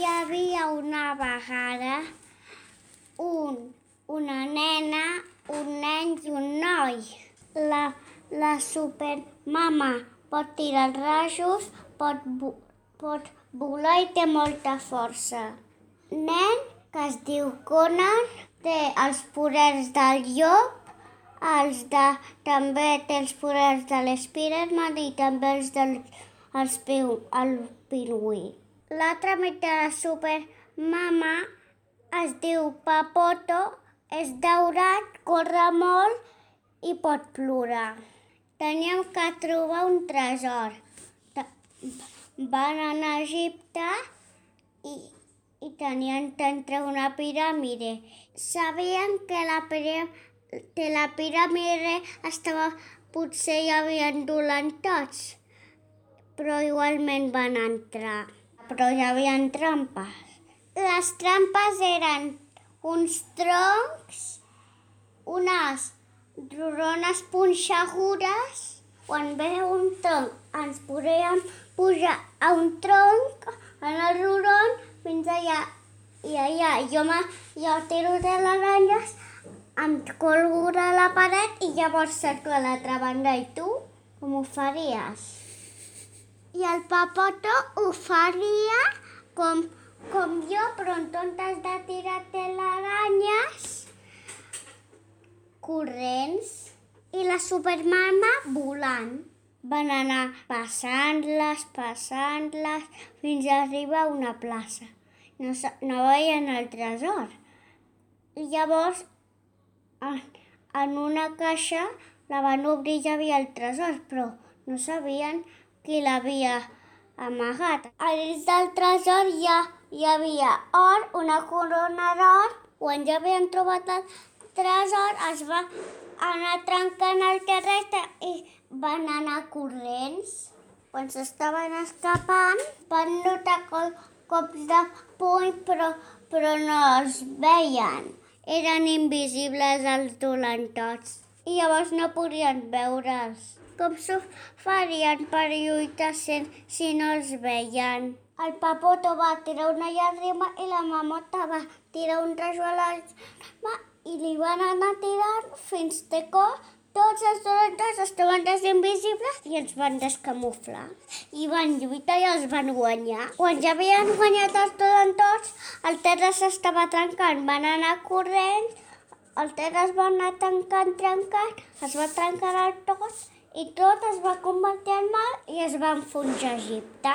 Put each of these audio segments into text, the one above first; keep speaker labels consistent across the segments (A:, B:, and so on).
A: Hi havia una vegada una nena, un nen i un noi. La supermama pot tirar els rajos, pot volar i té molta força. Nen, que es diu Conan, té els poders del llop, també té els poders de l'Spiderman i també el pingüí. L'altre amic de la supermama es diu Papoto, és daurat, corre molt i pot plorar. Teníem que trobar un tresor. Van anar a Egipte i tenien d'entrar una piràmide. Sabien que la piràmide estava... Potser hi havia dolents, però igualment van entrar. Però hi havia trampes. Les trampes eren uns troncs, unes rodones punxegudes. Quan ve un tronc, ens podíem pujar a un tronc, en el rodon, fins allà. I allà jo tiro de les aranyes, em colgo de la paret i llavors cerco a l'altra banda. I tu, com ho faries? I el Papoto ho faria com jo, però en comptes de tirar telaranyes, corrents, i la supermama volant. Van anar passant-les, fins a arribar a una plaça. No veien el tresor. I llavors, en una caixa, la van obrir i hi havia el tresor, però no sabien qui l'havia amagat. A dins del tresor hi havia or, una corona d'or. Quan ja havien trobat el tresor, es va anar trencant el terrestre i van anar corrents. Quan s'estaven escapant, van notar cops de puny, però no els veien. Eren invisibles els dolentots i llavors no podien veure'ls. Com s'ho farien per lluitar si no els veien? El Papoto va tirar una llàgrima i la mamota va tirar un rajo a la mà i li van anar tirant fins que tots els dolentots estaven invisibles i els van descamuflar. I van lluitar i els van guanyar. Quan ja havien guanyat els dolentots, el terra s'estava trencant. Van anar corrents, el terra es va anar trencant, es va trencar el tot i tot es va convertir en mar i es va enfonsar a Egipte.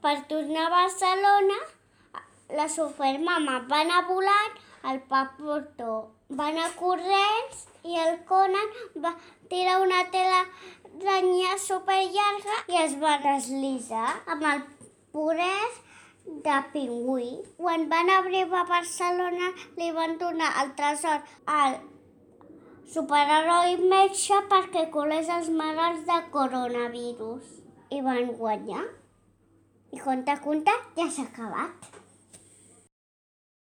A: Per tornar a Barcelona, la supermama va anar volant, el Papoto va anar corrents i el Conan va tirar una telaranya superllarga i es va deslizar amb el poder de pingüí. Quan van arribar a Barcelona, li van donar el tresor al superheroi metge perquè colés els malalts de coronavirus. I van guanyar. I conte, ja s'ha acabat.